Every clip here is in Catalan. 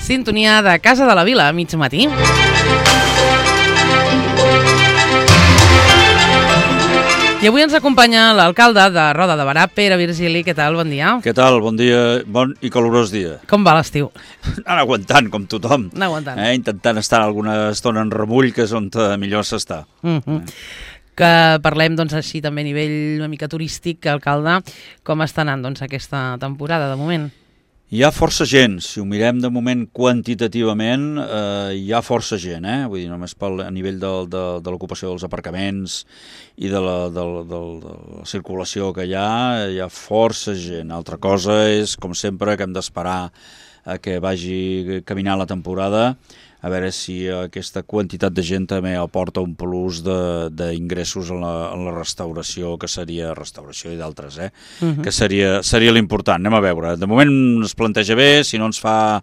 Sintonia de Casa de la Vila, mig matí. I avui ens acompanya l'alcalde de Roda de Berà, Pere Virgili. Què tal? Bon dia. Què tal? Bon dia, bon i calorós dia. Com va l'estiu? Anar aguantant, com tothom. Anar aguantant. Intentant estar alguna estona en remull, que és on millor s'està. Que parlem, doncs, així també a nivell una mica turístic, alcalde. Com està anant, doncs, aquesta temporada, de moment? Hi ha força gent, si ho mirem de moment quantitativament, hi ha força gent, vull dir, només a nivell de l'ocupació dels aparcaments i de la circulació que hi ha força gent. Altra cosa és, com sempre, que hem d'esperar a que vagi caminant la temporada, a veure si aquesta quantitat de gent també aporta un plus d'ingressos en la restauració, que seria restauració i d'altres, que seria l'important. Anem a veure. De moment es planteja bé, si no ens fa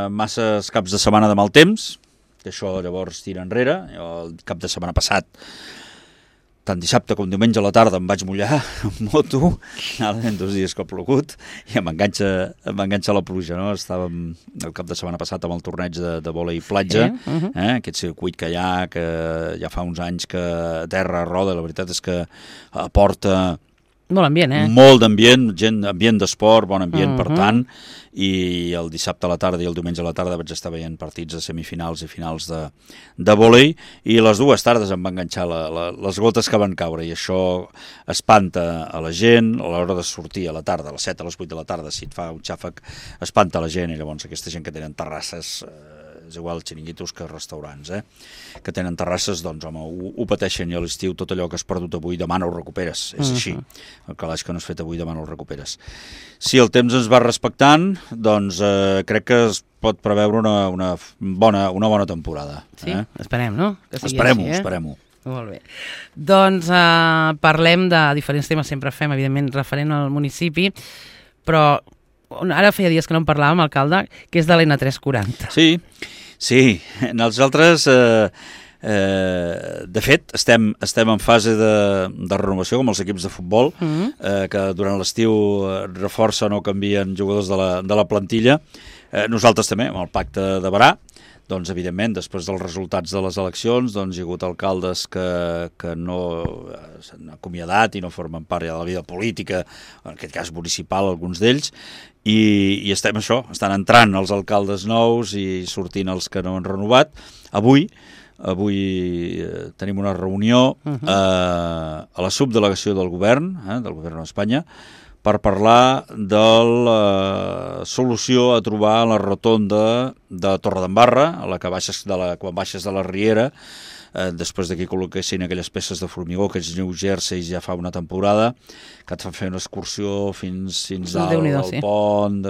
masses caps de setmana de mal temps, que això llavors tira enrere. Jo el cap de setmana passat, tant dissabte com diumenge a la tarda, em vaig mullar amb moto, en 2 dies que ha plogut, i m'enganxa la pluja, no? Estàvem el cap de setmana passat amb el torneig de vòlei platja, aquest circuit que hi ha, que ja fa uns anys que a terra roda, la veritat és que aporta molt ambient, molt d'ambient, ambient d'esport, bon ambient, per tant, i el dissabte a la tarda i el diumenge a la tarda vaig estar veient partits de semifinals i finals de vòlei, i les 2 tardes em va enganxar les gotes que van caure, i això espanta a la gent a l'hora de sortir a la tarda, a les 7, a les 8 de la tarda, si et fa un xàfec, espanta a la gent, i llavors aquesta gent que tenen terrasses, és igual xiringuitos que restaurants, que tenen terrasses, doncs home, ho pateixen, i a l'estiu tot allò que has perdut avui, demà no ho recuperes, és així, el calaix que no has fet avui, demà no ho recuperes. Si el temps ens va respectant, doncs crec que es pot preveure una bona temporada. Sí, esperem, no? Esperem-ho. Molt bé. Doncs parlem de diferents temes, sempre fem, evidentment, referent al municipi, però ara feia dies que no en parlàvem, alcalde, que és de l'N340. Sí, nosaltres, de fet, estem en fase de renovació, com els equips de futbol, que durant l'estiu reforcen o canvien jugadors de la plantilla. Nosaltres també, amb el pacte de Berà, doncs, evidentment, després dels resultats de les eleccions, doncs, hi ha hagut alcaldes que no s'han acomiadat i no formen part ja de la vida política, en aquest cas municipal, alguns d'ells, i estan entrant els alcaldes nous i sortint els que no han renovat. Avui tenim una reunió a la subdelegació del govern d'Espanya, per parlar de la solució a trobar a la rotonda de Torredembarra, quan baixes de la Riera, després que col·loquessin aquelles peces de formigó, aquests New Jerseys, ja fa una temporada, que et fan fer una excursió fins dalt al pont.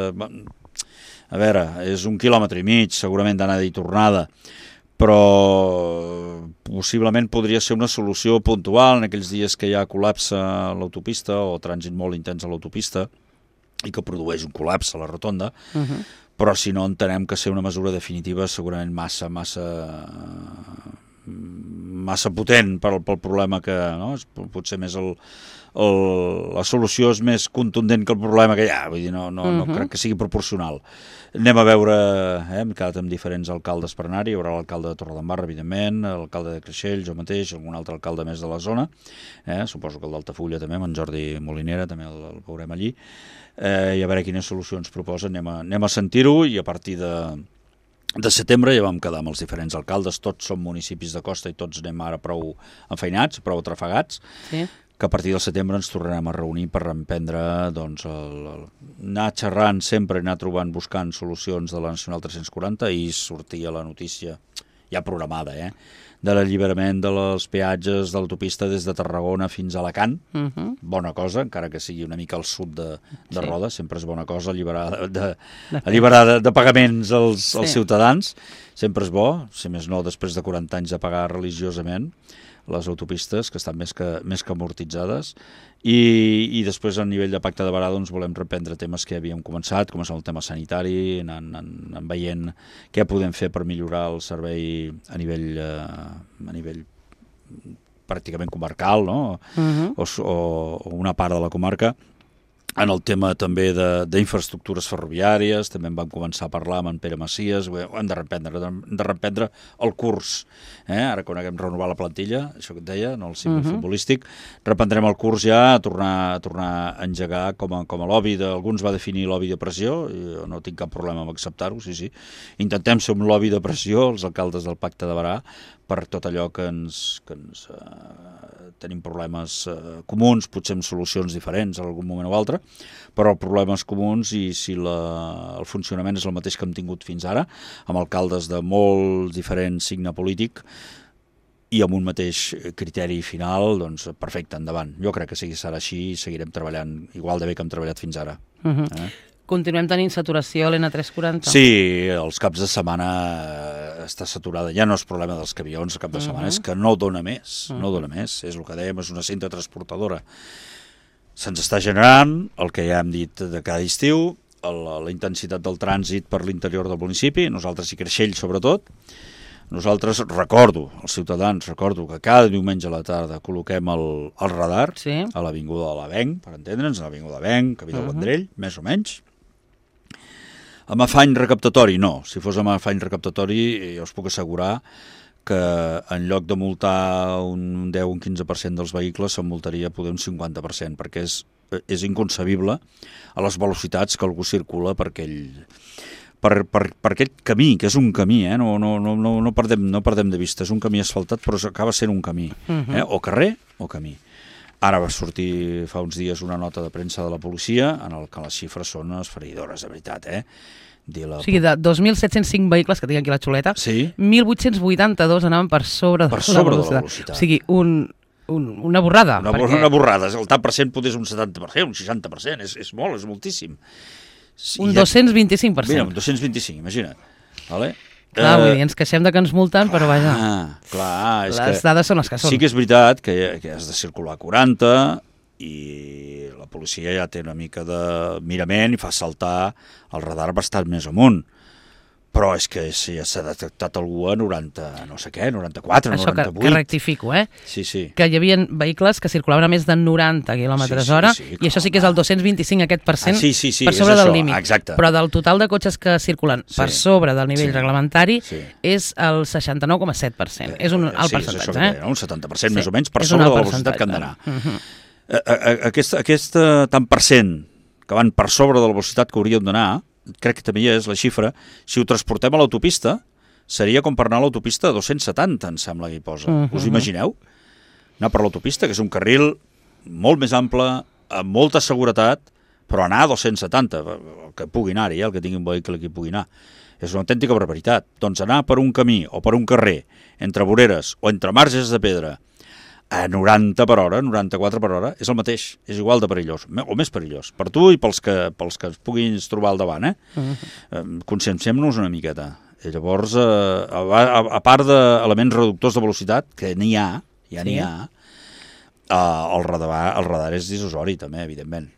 A veure, és 1,5 quilòmetres, segurament d'anada i tornada, però possiblement podria ser una solució puntual en aquells dies que hi ha col·lapse a l'autopista o trànsit molt intens a l'autopista i que produeix un col·lapse a la rotonda, però si no entenem que ser una mesura definitiva segurament massa potent pel problema que, no? Potser més la solució és més contundent que el problema que hi ha, vull dir, no crec que sigui proporcional. Anem a veure, hem quedat amb diferents alcaldes per anar-hi, hi haurà l'alcalde de Torredembarra, evidentment, l'alcalde de Creixell, jo mateix, algun altre alcalde més de la zona, suposo que el d'Altafulla també, amb en Jordi Molinera, també el veurem allí, i a veure quines solucions proposa, anem a sentir-ho, i a partir de setembre ja vam quedar amb els diferents alcaldes, tots som municipis de costa i tots anem ara prou enfeinats, prou atrafegats, que a partir del setembre ens tornarem a reunir per reemprendre, doncs, anar xerrant sempre, anar trobant, buscant solucions de la Nacional 340 i sortir a la notícia ja programada, de l'alliberament dels peatges de l'autopista des de Tarragona fins a Alacant. Bona cosa, encara que sigui una mica al sud de Roda, sempre és bona cosa alliberar de pagaments als ciutadans, sempre és bo, si més no després de 40 anys de pagar religiosament les autopistes, que estan més que amortitzades, i després a nivell de pacte de Berà doncs, volem reprendre temes que havíem començat, com és el tema sanitari, anant veient què podem fer per millorar el servei a nivell pràcticament comarcal, no? O una part de la comarca, En el tema també d'infraestructures ferroviàries, també en vam començar a parlar amb en Pere Macias, ho hem de reprendre el curs. Ara quan haguem renovat la plantilla, això que et deia, no el símbol futbolístic, reprendrem el curs ja a tornar a engegar com a lobby alguns va definir lobby de pressió, i jo no tinc cap problema amb acceptar-ho, sí. Intentem ser un lobby de pressió, els alcaldes del Pacte de Berà, per tot allò que ens tenim problemes comuns, potser amb solucions diferents en algun moment o altre, però problemes comuns, i si el funcionament és el mateix que hem tingut fins ara, amb alcaldes de molt diferent signe polític i amb un mateix criteri final, doncs perfecte, endavant. Jo crec que serà així i seguirem treballant igual de bé que hem treballat fins ara. Continuem tenint saturació a l'N340? Sí, els caps de setmana està saturada. Ja no és problema dels camions el cap de setmana, és que no dona més, no dona més. És el que dèiem, és una cinta transportadora. Se'ns està generant, el que ja hem dit de cada estiu, la intensitat del trànsit per l'interior del municipi, nosaltres i Creixell sobretot. Nosaltres, als ciutadans, recordo que cada diumenge a la tarda col·loquem el radar a l'Avinguda de l'Avenc, per entendre'ns, a l'Avinguda de l'Avenc, Camí del Vendrell, més o menys. Amb afany recaptatori, no. Si fos amb afany recaptatori, jo us puc assegurar que en lloc de multar un 10 o un 15% dels vehicles, se'n multaria poder un 50%, perquè és inconcebible a les velocitats que algú circula per aquest camí, que és un camí, no perdem de vista, és un camí asfaltat, però acaba sent un camí, o carrer o camí. Ara va sortir fa uns dies una nota de premsa de la policia en el que les xifres són esfereïdores, de veritat. O sigui, de 2.705 vehicles que tinc aquí a la xuleta, 1.882 anaven per sobre de la velocitat. O sigui, una borrada. Una borrada. El tant per cent potser és un 70%, un 60%, és molt, és moltíssim. Un 225%. Mira, un 225, imagina't. Vale? Clar, vull dir, ens queixem de que ens multen, però vaja, les dades són les que són. Sí que és veritat que has de circular a 40 i la policia ja té una mica de mirament i fa saltar el radar bastant més amunt. Però és que si ja s'ha detectat algú a 90, no sé què, 94, això 98... que rectifico, Sí. Que hi havia vehicles que circulaven a més de 90 km/h, i això sí que és el 225, aquest percent, per sobre del límit. Exacte. Però del total de cotxes que circulen per sobre del nivell reglamentari és el 69,7%. És un alt percentatge. És això que deia, un 70% més o menys per sobre de la velocitat que han d'anar. Aquest tant per cent que van per sobre de la velocitat que hauríem d'anar, crec que també hi és la xifra, si ho transportem a l'autopista, seria com per anar a l'autopista a 270, em sembla que hi posa. Us imagineu? Anar per l'autopista, que és un carril molt més ample, amb molta seguretat, però anar a 270, el que pugui anar-hi, el que tingui un vehicle que hi pugui anar. És una autèntica barbaritat. Doncs anar per un camí o per un carrer, entre voreres o entre marges de pedra, a 90 per hora, 94 per hora, és el mateix, és igual de perillós, o més perillós, per tu i pels que es puguin trobar al davant. Conscienciem-nos una miqueta. I llavors, a part d'elements reductors de velocitat, que n'hi ha, el radar és dissusori també, evidentment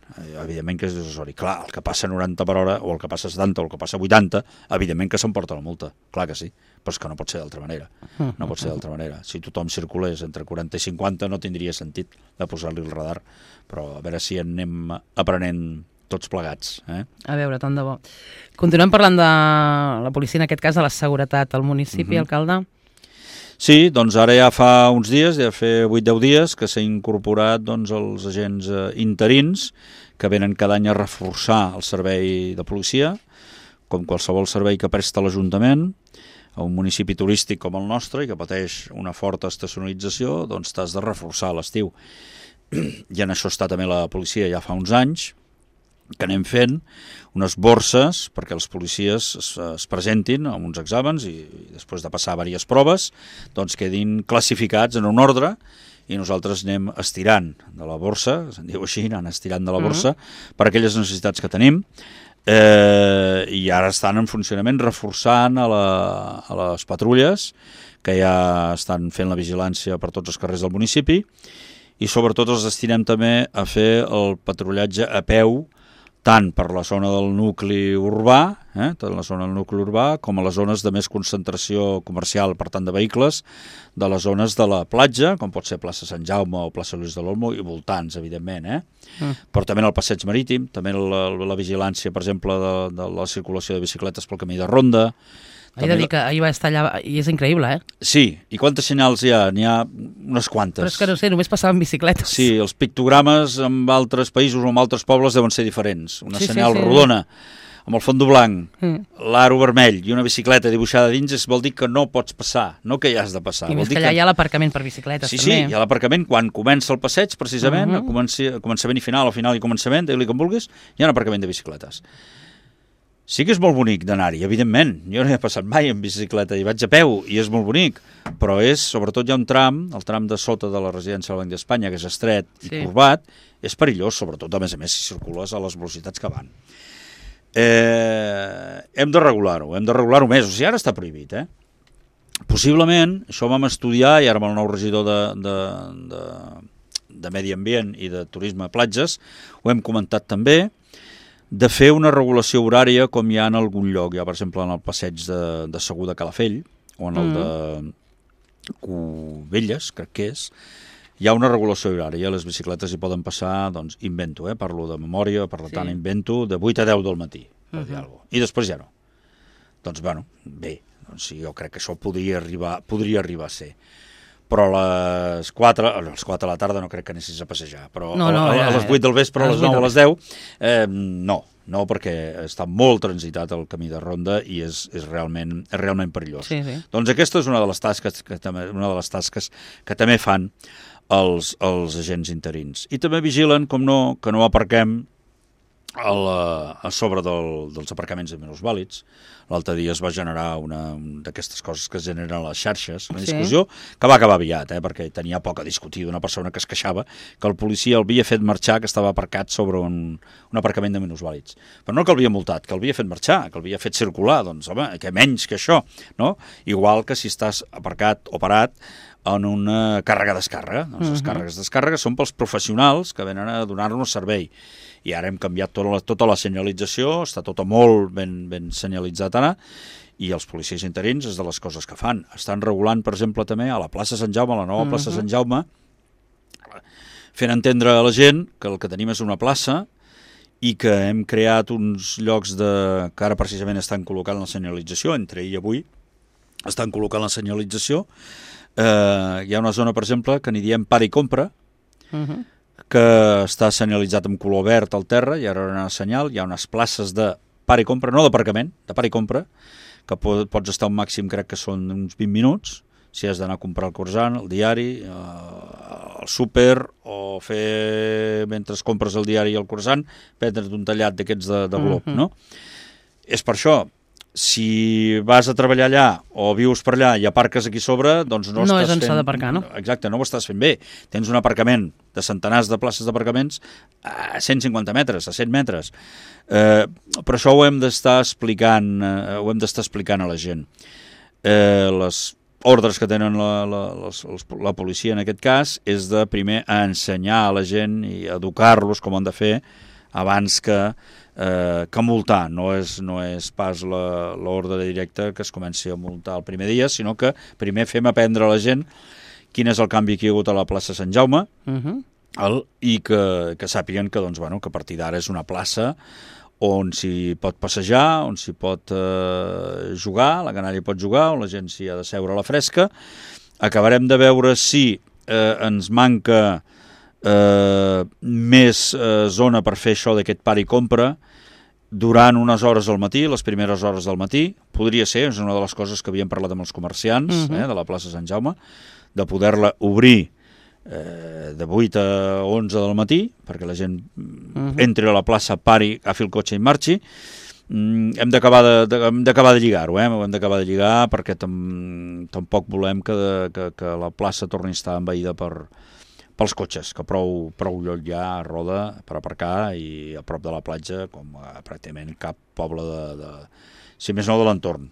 que és dissusori. Clar, el que passa a 90 per hora, o el que passa a 70, o el que passa a 80, evidentment que s'emporta la multa, clar que sí, però és que no pot ser d'altra manera. No pot ser d'altra manera. Si tothom circulés entre 40 i 50 no tindria sentit de posar-li el radar, però a veure si en anem aprenent tots plegats. A veure, tant de bo. Continuem parlant de la policia, en aquest cas de la seguretat al municipi, alcalde? Sí, doncs ara ja fa uns dies, ja fa 8-10 dies, que s'ha incorporat els agents interins que venen cada any a reforçar el servei de policia, com qualsevol servei que presta l'Ajuntament. A un municipi turístic com el nostre i que pateix una forta estacionalització, doncs t'has de reforçar a l'estiu. I en això està també la policia ja fa uns anys, que anem fent unes borses perquè els policies es presentin amb uns exàmens i després de passar diverses proves doncs quedin classificats en un ordre i nosaltres anem estirant de la borsa, se'n diu així, anant estirant de la borsa per aquelles necessitats que tenim i ara estan en funcionament reforçant a les patrulles que ja estan fent la vigilància per tots els carrers del municipi i sobretot els destinem també a fer el patrullatge a peu tant per la zona del nucli urbà, tant la zona del nucli urbà, com a les zones de més concentració comercial, per tant de vehicles, de les zones de la platja, com pot ser plaça Sant Jaume o plaça Lluís de l'Olmo, i voltants, evidentment, però també en el passeig marítim, també la vigilància, per exemple, de la circulació de bicicletes pel camí de ronda. He de dir que ahir va estar allà i és increïble, Sí, i quantes senyals hi ha? N'hi ha unes quantes. Però és que no sé, només passaven bicicletes. Sí, els pictogrames en altres països o en altres pobles deuen ser diferents. Una senyal rodona, amb el fons blanc, l'aro vermell i una bicicleta dibuixada dins, vol dir que no pots passar, no que hi has de passar. I més que allà hi ha l'aparcament per bicicletes, també. Sí, hi ha l'aparcament quan comença el passeig, precisament, a començament i final, o final i començament, digue-li com vulguis, hi ha un aparcament de bicicletes. Sí que és molt bonic d'anar-hi, evidentment. Jo no he passat mai en bicicleta i vaig a peu i és molt bonic, però sobretot hi ha un tram, el tram de sota de la residència del Banc d'Espanya, que és estret i corbat, és perillós, sobretot, a més, si circules a les velocitats que van. Hem de regular-ho més, o sigui, ara està prohibit, Possiblement, això ho vam estudiar, i ara amb el nou regidor de Medi Ambient i de Turisme a Platges, ho hem comentat també, de fer una regulació horària com hi ha en algun lloc. Hi ha, per exemple, en el passeig de Segur de Calafell, o en el de Cubelles, crec que és, hi ha una regulació horària. Les bicicletes hi poden passar, doncs, invento, parlo de memòria, per tant, invento, de 8 a 10 del matí, per dir alguna cosa. I després ja no. Doncs, bueno, bé, doncs, jo crec que això podria arribar a ser. Però a les 4 de la tarda no crec que anessis a passejar, però a les 8 del vespre, a les 9 o a les 10, no, perquè està molt transitat el camí de ronda i és realment perillós. Doncs aquesta és una de les tasques que també fan els agents interins. I també vigilen, com no, que no aparquem a sobre dels aparcaments de minusvàlids. L'altre dia es va generar una d'aquestes coses que es generen a les xarxes, una discussió que va acabar aviat, perquè tenia poc a discutir d'una persona que es queixava que el policia el havia fet marxar, que estava aparcat sobre un aparcament de minusvàlids. Però no que el havia multat, que el havia fet marxar, que el havia fet circular, doncs home, que menys que això, no? Igual que si estàs aparcat o parat en una càrrega-descàrrega. Doncs les càrregues-descàrregues són pels professionals que venen a donar-nos servei. I ara hem canviat tota la senyalització, està tota molt ben senyalitzat ara, i els policies interins és de les coses que fan. Estan regulant, per exemple, també a la plaça Sant Jaume, a la nova plaça Sant Jaume, fent entendre a la gent que el que tenim és una plaça i que hem creat uns llocs que ara precisament estan col·locant la senyalització, entre ahir i avui estan col·locant la senyalització. Hi ha una zona, per exemple, que n'hi diem para i compra, que està senyalitzat amb color verd al terra, i ara hi ha una senyal, hi ha unes places de para i compra, no d'aparcament, de para i compra, que pots estar un màxim, crec que són uns 20 minuts, si has d'anar a comprar el croissant, el diari, el súper, o fer, mentre compres el diari i el croissant, prendre't un tallat d'aquests de glob, no? És per això. Si vas a treballar allà o vius per allà i aparques aquí sobre, doncs no estàs és on s'ha d'aparcar, no? Exacte, no ho estàs fent bé. Tens un aparcament de centenars de places d'aparcaments a 150 metres, a 100 metres. Però això ho hem d'estar explicant a la gent. Les ordres que tenen la policia en aquest cas és de primer ensenyar a la gent i educar-los com han de fer abans que multar. No és pas l'ordre directa que es comenci a multar el primer dia, sinó que primer fem aprendre a la gent quin és el canvi que hi ha hagut a la plaça Sant Jaume i que sàpiguen que a partir d'ara és una plaça on s'hi pot passejar, on s'hi pot jugar, la canalla pot jugar, on la gent s'hi ha de seure a la fresca. Acabarem de veure si ens manca més zona per fer això d'aquest para i compra durant unes hores al matí, les primeres hores del matí. Podria ser, és una de les coses que havíem parlat amb els comerciants de la plaça Sant Jaume, de poder-la obrir de 8 a 11 del matí, perquè la gent entri a la plaça, pari, agafi el cotxe i marxi. Hem d'acabar de lligar-ho, ho hem d'acabar de lligar perquè tampoc volem que la plaça torni a estar envaïda pels cotxes, que prou lloc hi ha a Roda per aparcar i a prop de la platja, com pràcticament cap poble si més no de l'entorn.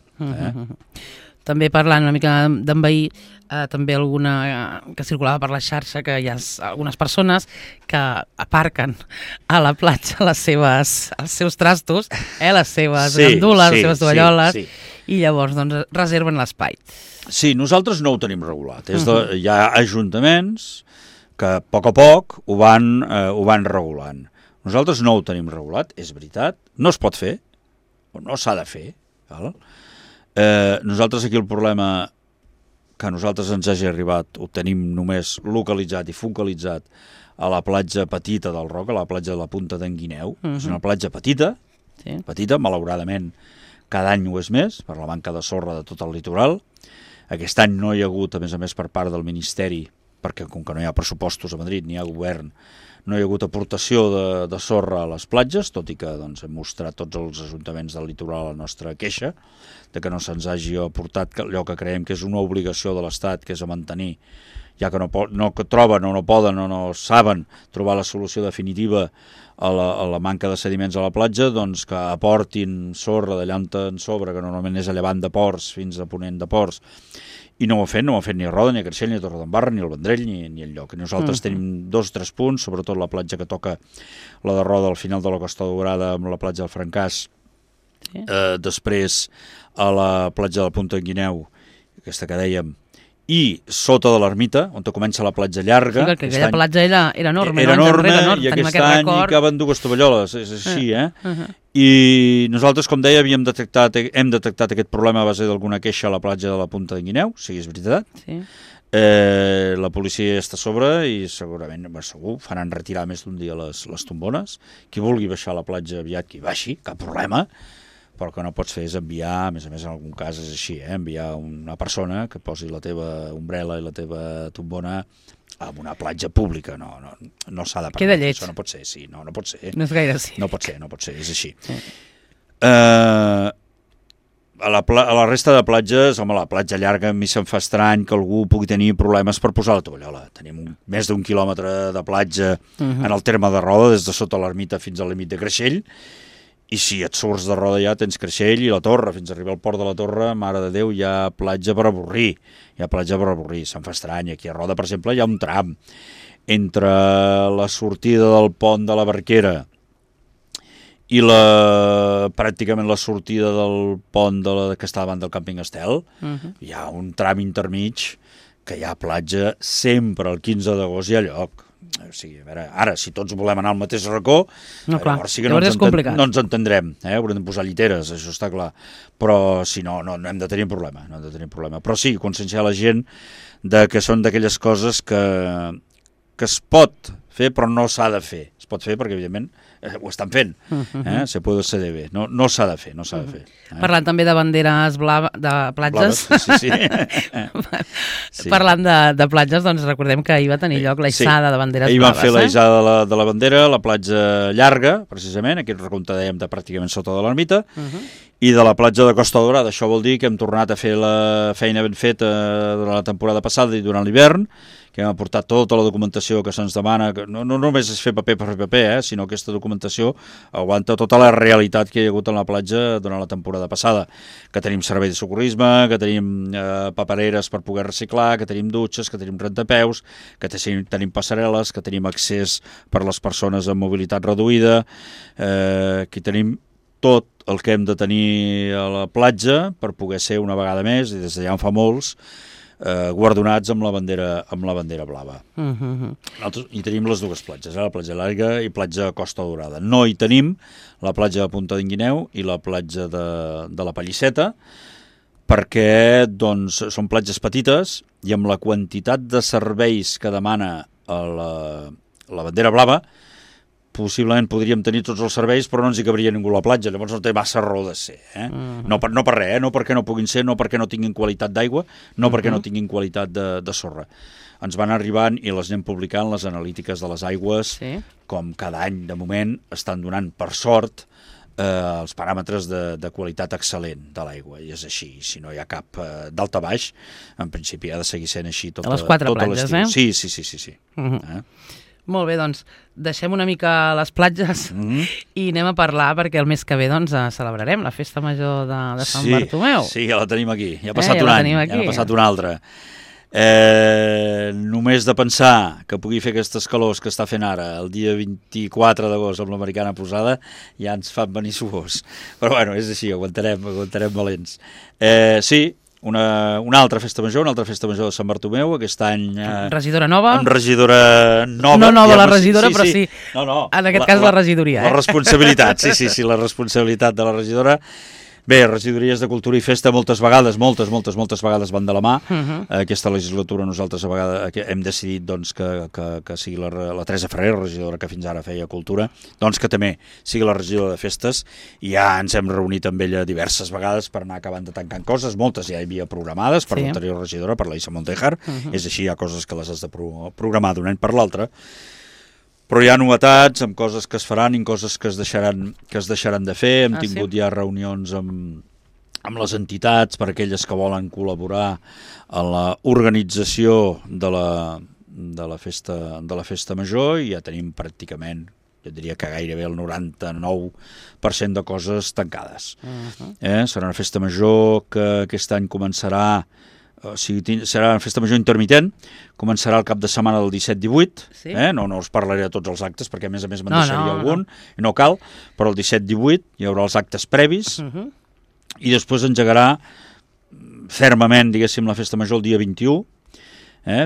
també parlant una mica d'envair, també alguna que circulava per la xarxa, que hi ha algunes persones que aparquen a la platja els seus trastos, les seves gandules, les seves tovalloles, i llavors doncs, reserven l'espai. Sí, nosaltres no ho tenim regulat. Hi ha ajuntaments que a poc ho van regulant. Nosaltres no ho tenim regulat, és veritat, no es pot fer, o no s'ha de fer. Nosaltres aquí el problema que a nosaltres ens hagi arribat ho tenim només localitzat i focalitzat a la platja petita del Roc, a la platja de la Punta d'en Guineu. És una platja petita, malauradament cada any ho és més, per la manca de sorra de tot el litoral. Aquest any no hi ha hagut, a més per part del Ministeri, perquè com que no hi ha pressupostos a Madrid, ni hi ha govern, no hi ha hagut aportació de sorra a les platges, tot i que doncs, hem mostrat tots els ajuntaments del litoral la nostra queixa, de que no se'ns hagi aportat allò que creiem que és una obligació de l'Estat, que és a mantenir, ja que no troben o no poden o no saben trobar la solució definitiva a la manca de sediments a la platja, doncs que aportin sorra d'allà en sobre, que normalment és a llevant de Ports fins a ponent de Ports, i no ho han fet ni a Roda, ni a Creixell, ni a Torredembarra, ni al Vendrell, ni enlloc. Nosaltres tenim 2 o 3 punts, sobretot la platja que toca la de Roda al final de la Costa Daurada amb la platja del Francàs, després a la platja de la Punta d'en Guineu, aquesta que dèiem, i sota de l'ermita, on comença la platja llarga. Sí, perquè aquella platja era enorme. Era enorme, i aquest any hi caben 2 tovalloles, és així, I nosaltres, com deia, hem detectat aquest problema a base d'alguna queixa a la platja de la Punta d'en Guineu, sí, és veritat. Sí. La policia està a sobre i segurament, segur, faran retirar més d'un dia les tombones. Qui vulgui baixar a la platja aviat, que hi baixi, cap problema. Però el que no pots fer és enviar, a més en algun cas és així, enviar una persona que posi la teva ombrella i la teva tombona a una platja pública. No s'ha de permetre. Queda lleig. Això no pot ser, sí, no pot ser. No és gaire així. No pot ser, és així. Sí. A la resta de platges, home, la platja llarga a mi se'm fa estrany que algú pugui tenir problemes per posar la tovallola. Tenim més d'1 quilòmetre de platja en el terme de Roda, des de sota l'ermita fins al límit de Creixell, i si et surts de Roda ja tens Creixell i la Torre, fins a arribar al port de la Torre, mare de Déu, hi ha platja per avorrir, se'm fa estrany. Aquí a Roda, per exemple, hi ha un tram entre la sortida del pont de la Barquera i pràcticament la sortida del pont que està davant del càmping Estel, hi ha un tram intermig que hi ha platja sempre, el 15 d'agost hi ha lloc. O sigui, a veure, ara, si tots volem anar al mateix racó, llavors sí que no ens entendrem, haurem de posar lliteres, això està clar, però si no hem de tenir problema, però sí, conscienciar la gent de que són d'aquelles coses que es pot fer però no s'ha de fer, es pot fer perquè evidentment ho estan fent, se puede ser de bé, no s'ha de fer, Parlant també de banderes de platges. Sí. Parlant de platges, doncs recordem que ahir va tenir lloc la hissada de banderes blaves. Ahir van fer la hissada de la bandera, la platja llarga, precisament, aquí recompte dèiem de pràcticament sota de l'ermita, i de la platja de Costa Daurada. Això vol dir que hem tornat a fer la feina ben feta durant la temporada passada i durant l'hivern, que hem aportat tota la documentació que se'ns demana, que no només és fer paper per fer paper, sinó que aquesta documentació aguanta tota la realitat que hi ha hagut en la platja durant la temporada passada, que tenim servei de socorrisme, que tenim papereres per poder reciclar, que tenim dutxes, que tenim rentapeus, que tenim passarel·les, que tenim accés per a les persones amb mobilitat reduïda, que tenim tot el que hem de tenir a la platja per poder ser una vegada més, i des d'allà en fa molts, guardonats amb la bandera blava. Nosaltres hi tenim les 2 platges, la platja llarga i platja Costa Daurada. No hi tenim la platja de Punta d'en Guineu i la platja de la Pallisseta, perquè doncs, són platges petites i amb la quantitat de serveis que demana la bandera blava, possiblement podríem tenir tots els serveis, però no ens hi cabria ningú a la platja, llavors no té massa raó de ser. No per res, no perquè no puguin ser, no perquè no tinguin qualitat d'aigua, no perquè no tinguin qualitat de sorra. Ens van arribant i les anem publicant, les analítiques de les aigües, com cada any, de moment, estan donant, per sort, els paràmetres de qualitat excel·lent de l'aigua, i és així, si no hi ha cap d'alt a baix, en principi ha de seguir sent així tot les 4 platges, Sí. Molt bé, doncs deixem una mica les platges i anem a parlar perquè el mes que ve doncs celebrarem la festa major de Sant Bartomeu. Sí, ja la tenim aquí. Ja ha passat un any, ja ha passat un altre. Només de pensar que pugui fer aquestes calors que està fent ara el dia 24 d'agost amb l'americana posada ja ens fan venir suors, però bueno, és així, aguantarem valents. Sí, una altra festa major de Sant Bartomeu, aquest any... regidora nova? Amb regidora nova. No nova la regidora, però sí, no, en aquest cas la regidoria. La responsabilitat, sí, la responsabilitat de la regidora. Bé, regidories de Cultura i Festa moltes vegades van de la mà. Aquesta legislatura nosaltres a vegades hem decidit doncs, que sigui la Teresa Ferrer, regidora que fins ara feia Cultura, doncs que també sigui la regidora de Festes, i ja ens hem reunit amb ella diverses vegades per anar acabant de tancant coses, moltes ja hi havia programades per l'anterior regidora, per la Isa Montejar, és així, hi ha coses que les has de programar d'un any per l'altre, però hi ha novetats amb coses que es faran i coses que es deixaran de fer. Hem tingut ja reunions amb les entitats per aquelles que volen col·laborar en l'organització de la festa major, i ja tenim pràcticament, jo diria que gairebé el 99% de coses tancades. Serà una festa major que aquest any començarà, o sigui, serà una festa major intermitent, començarà el cap de setmana del 17-18, no us parlaré de tots els actes perquè a més me'n deixaria algun, i no cal, però el 17-18 hi haurà els actes previs, i després engegarà fermament, diguéssim, la festa major el dia 21,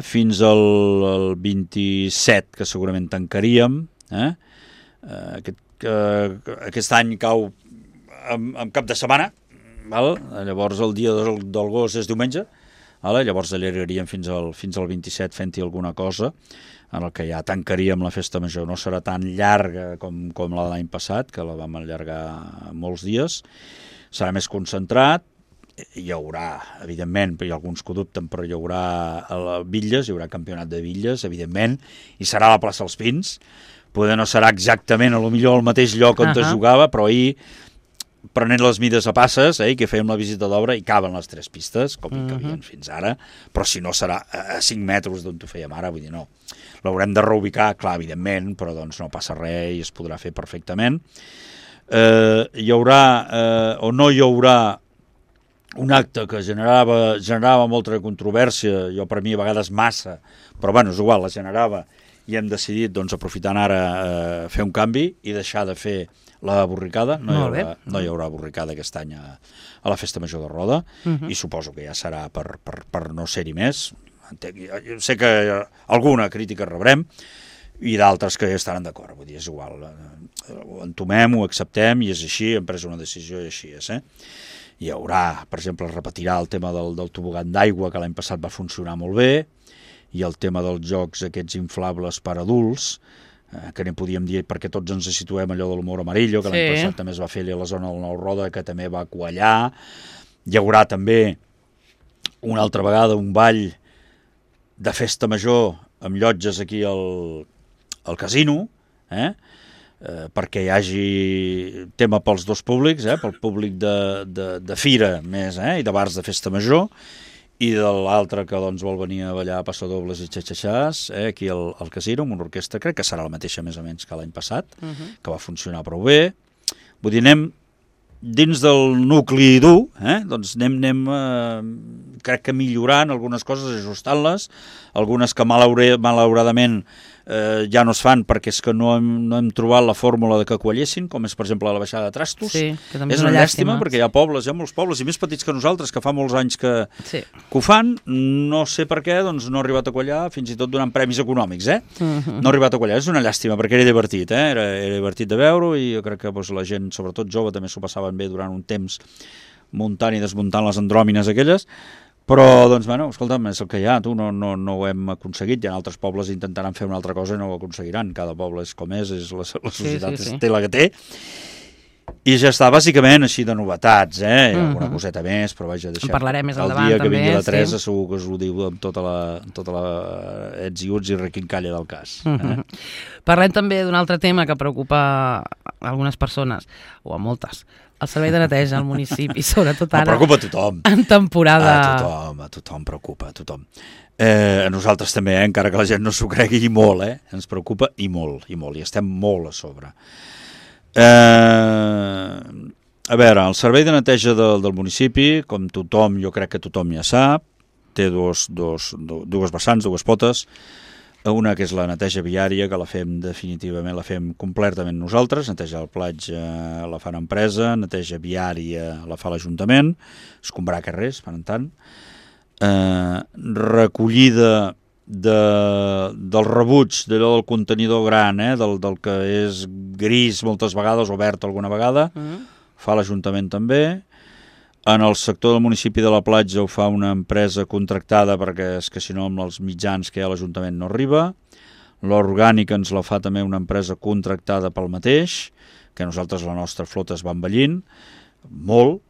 fins al 27, que segurament tancaríem. Aquest any cau en cap de setmana, llavors el dia del gos és diumenge, llavors allargaríem fins al 27 fent-hi alguna cosa, en el que ja tancaríem la festa major. No serà tan llarga com la de l'any passat, que la vam allargar molts dies, serà més concentrat, hi haurà, evidentment, hi ha alguns que ho dubten, però hi haurà bitlles, hi haurà campionat de bitlles, evidentment, i serà a la plaça Els Pins. Poder no serà exactament a lo millor al mateix lloc on es jugava, però ahir, prenent les mides a passes, que fèiem la visita d'obra i caben les 3 pistes, com hi cabien fins ara, però si no serà a 5 metres d'on ho fèiem ara, vull dir, no. L'haurem de reubicar, clar, evidentment, però doncs no passa res i es podrà fer perfectament. Hi haurà o no hi haurà un acte que generava molta controvèrsia, jo per mi a vegades massa, però bueno, és igual, la generava, i hem decidit, doncs, aprofitant ara, fer un canvi i deixar de fer la borricada. No hi haurà borricada aquest any a la Festa Major de Roda, i suposo que ja serà per no ser-hi més. Jo sé que alguna crítica rebrem i d'altres que ja estaran d'acord, vull dir, és igual. Ho entomem, ho acceptem i és així, hem pres una decisió i així és. Hi haurà, per exemple, es repetirà el tema del tobogan d'aigua, que l'any passat va funcionar molt bé, i el tema dels jocs aquests inflables per adults, que n'hi podíem dir perquè tots ens situem allò de l'humor amarillo, que l'any passat també es va fer a la zona del Nou Roda, que també va quallar. Hi haurà també una altra vegada un ball de festa major amb llotges aquí al casino, perquè hi hagi tema pels dos públics, pel públic de fira més, i de bars de festa major, i de l'altre que doncs, vol venir a ballar passadobles i xatxaxàs, aquí al casino, amb una orquestra, crec que serà la mateixa més o menys que l'any passat, que va funcionar prou bé. Vull dir, anem dins del nucli dur, doncs anem crec que millorant algunes coses, ajustant-les, algunes que malauradament ja no es fan perquè és que no hem trobat la fórmula de que quallessin, com és per exemple la baixada de trastos. Sí, que també és una llàstima perquè hi ha molts pobles i més petits que nosaltres que fa molts anys que ho fan, no sé per què, doncs no ha arribat a quallar, fins i tot donant premis econòmics, no ha arribat a quallar, és una llàstima perquè era divertit, era divertit de veure i jo crec que la gent, sobretot jove, també s'ho passaven bé durant un temps muntant i desmuntant les andròmines aquelles. Però, doncs, bueno, escolta'm, és el que hi ha, no ho hem aconseguit, i en altres pobles intentaran fer una altra cosa i no ho aconseguiran, cada poble és com és la societat té la que té, i ja està, bàsicament, així de novetats, alguna coseta més, però vaja, deixem. En parlarem més endavant, també. El dia que vingui la Teresa sí. Segur que us ho diu amb tota la ets i uts i requincalla del cas. Parlem també d'un altre tema que preocupa a algunes persones, o a moltes, el servei de neteja al municipi, sobretot ara. Preocupa a tothom. En temporada. A tothom preocupa, a tothom. A nosaltres també, encara que la gent no s'ho cregui, i molt, ens preocupa i molt, i estem molt a sobre. A veure, el servei de neteja del municipi, com tothom, jo crec que tothom ja sap, té dues vessants, dues potes. Una que és la neteja viària, que la fem definitivament, la fem completament nosaltres. Neteja del platja la fa l'empresa, neteja viària la fa l'Ajuntament, escombrar carrers, per en tant. Recollida del rebuig, d'allò del contenidor gran, del que és gris moltes vegades, o verd alguna vegada, fa l'Ajuntament també. En el sector del municipi de la platja ho fa una empresa contractada, perquè és que si no amb els mitjans que hi ha a l'Ajuntament no arriba. L'orgànica ens la fa també una empresa contractada pel mateix, que nosaltres la nostra flota es va envellint molt.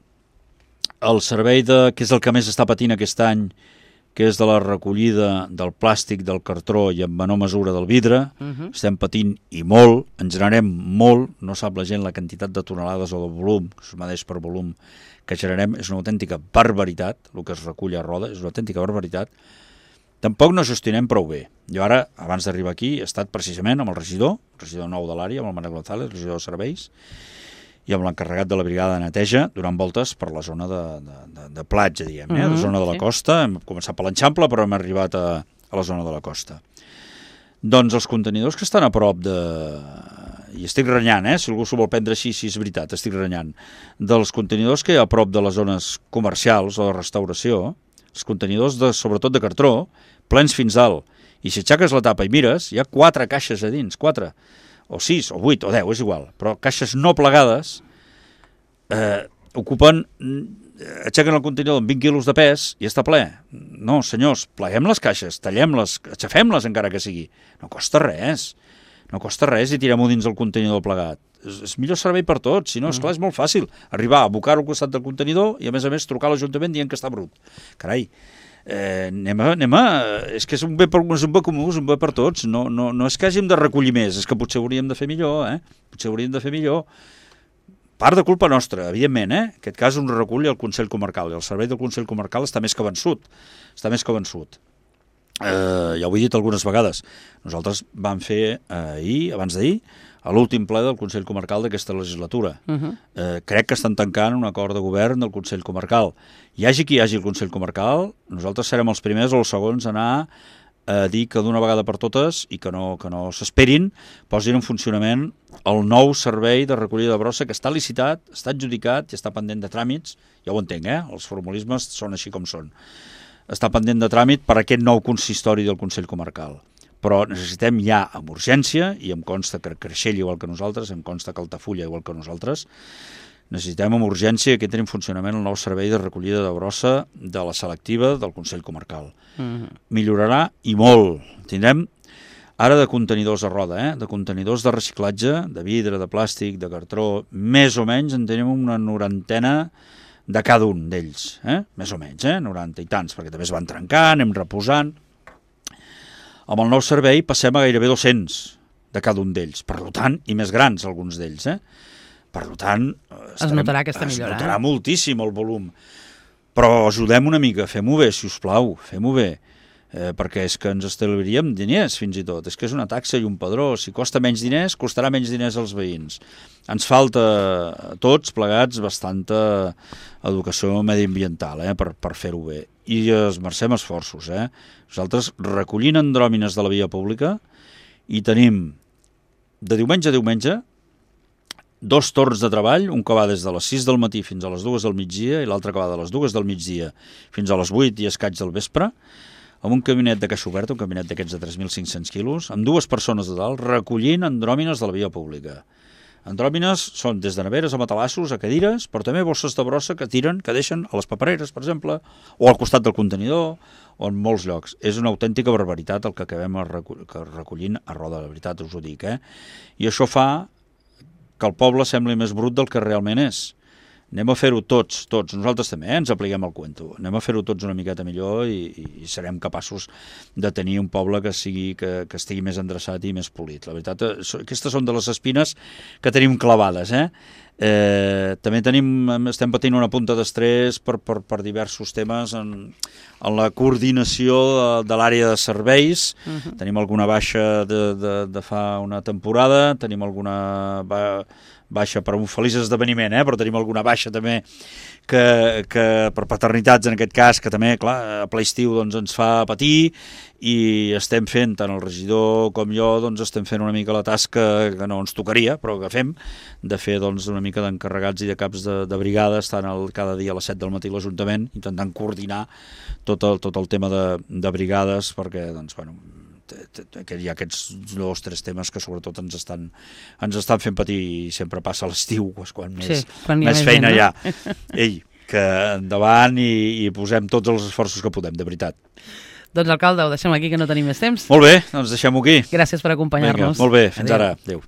El servei que és el que més està patint aquest any, que és de la recollida del plàstic, del cartró i en menor mesura del vidre, estem patint i molt, en generem molt, no sap la gent la quantitat de tonelades o de volum, que es medeix per volum, que generem, és una autèntica barbaritat, el que es recull a Roda, és una autèntica barbaritat. Tampoc no gestionem prou bé. Jo ara, abans d'arribar aquí, he estat precisament amb el regidor nou de l'àrea, amb el Manel González, regidor de serveis, i amb l'encarregat de la brigada de neteja, donant voltes per la zona de platja, diguem, la zona de la costa. Hem començat per l'Eixample, però hem arribat a la zona de la costa. Doncs els contenidors que estan a prop de... I estic renyant, si algú s'ho vol prendre així, si és veritat, estic renyant. Dels contenidors que hi ha a prop de les zones comercials o de restauració, els contenidors sobretot de cartró, plens fins dalt, i si aixeques la tapa i mires, hi ha 4 caixes a dins, 4, o 6, o 8, o 10, és igual, però caixes no plegades ocupen... Aixequen el contenidor amb 20 quilos de pes i està ple. No, senyors, pleguem les caixes, tallem-les, aixafem-les encara que sigui. No costa res i tirem-ho dins el contenidor plegat. És millor servei per tots, si no, esclar, és molt fàcil arribar a abocar-ho al costat del contenidor i a més trucar a l'Ajuntament dient que està brut. Carai, anem a... És que és un bé comú, és un bé per tots. No és que hàgim de recollir més, és que potser hauríem de fer millor, Potser hauríem de fer millor. Part de culpa nostra, evidentment, En aquest cas un recull al Consell Comarcal, i el servei del Consell Comarcal està més que vençut. Ja ho he dit algunes vegades. Nosaltres vam fer abans d'ahir, a l'últim ple del Consell Comarcal d'aquesta legislatura. Crec que estan tancant un acord de govern del Consell Comarcal. Hi hagi qui hi hagi el Consell Comarcal, nosaltres serem els primers o els segons a anar a dir que d'una vegada per totes, i que no s'esperin, posin en funcionament el nou servei de recollida de brossa que està licitat, està adjudicat i està pendent de tràmits. Ja ho entenc, els formulismes són així com són. Està pendent de tràmit per aquest nou consistori del Consell Comarcal. Però necessitem ja amb urgència, i em consta que Creixell igual que nosaltres, em consta que Altafulla igual que nosaltres, necessitem amb urgència que entri en funcionament el nou servei de recollida de brossa de la selectiva del Consell Comarcal. Millorarà i molt. Tindrem ara de contenidors a Roda, de contenidors de reciclatge, de vidre, de plàstic, de cartró, més o menys en tenim una 90 de cada un d'ells, més o menys, 90 i tants, perquè també es van trencant, anem reposant. Amb el nou servei passem a gairebé 200 de cada un d'ells, per tant, i més grans alguns d'ells, Per tant, es notarà aquesta millora. Es notarà moltíssim el volum. Però ajudem una mica, fem-ho bé, si us plau, fem-ho bé. Perquè és que ens estalviaríem diners, fins i tot. És que és una taxa i un padró. Si costa menys diners, costarà menys diners als veïns. Ens falta a tots plegats bastanta educació mediambiental per fer-ho bé. I esmercem esforços. Nosaltres recollint andròmines de la via pública i tenim de diumenge a diumenge 2 torns de treball, un que va des de les 6 del matí fins a les 2 del migdia i l'altre que va de les 2 del migdia fins a les 8 i escaig del vespre, amb un caminet de caixa oberta, un caminet d'aquests de 3.500 quilos, amb 2 persones de dalt, recollint andròmines de la via pública. Andròmines són des de neveres a matalassos, a cadires, però també bosses de brossa que tiren, que deixen a les papereres, per exemple, o al costat del contenidor, o en molts llocs. És una autèntica barbaritat el que acabem recollint a Roda, la veritat us ho dic. I això fa que el poble sembli més brut del que realment és. Anem a fer-ho tots, nosaltres també, ens apliquem el cuento. Anem a fer-ho tots una miqueta millor i serem capaços de tenir un poble que estigui més endreçat i més polit. La veritat, aquestes són de les espines que tenim clavades. També estem patint una punta d'estrès per diversos temes en la coordinació de l'àrea de serveis. Tenim alguna baixa de fa una temporada, tenim alguna baixa per un feliç esdeveniment, però tenim alguna baixa també que per paternitats en aquest cas, que també, clar, a ple estiu doncs, ens fa patir, i estem fent, tant el regidor com jo, doncs estem fent una mica la tasca que no ens tocaria, però que fem, de fer doncs, una mica d'encarregats i de caps de brigada, estant cada dia a les 7 del matí a l'Ajuntament, intentant coordinar tot el tema de brigades, perquè doncs, bueno, hi ha aquests 2 o 3 temes que sobretot ens estan fent patir, i sempre passa a l'estiu, quan més feina hi ha. Ei, que endavant i posem tots els esforços que podem, de veritat. Doncs, alcalde, ho deixem aquí, que no tenim més temps. Molt bé, doncs deixem-ho aquí. Gràcies per acompanyar-nos. Vinga, molt bé, fins ara. Adéu.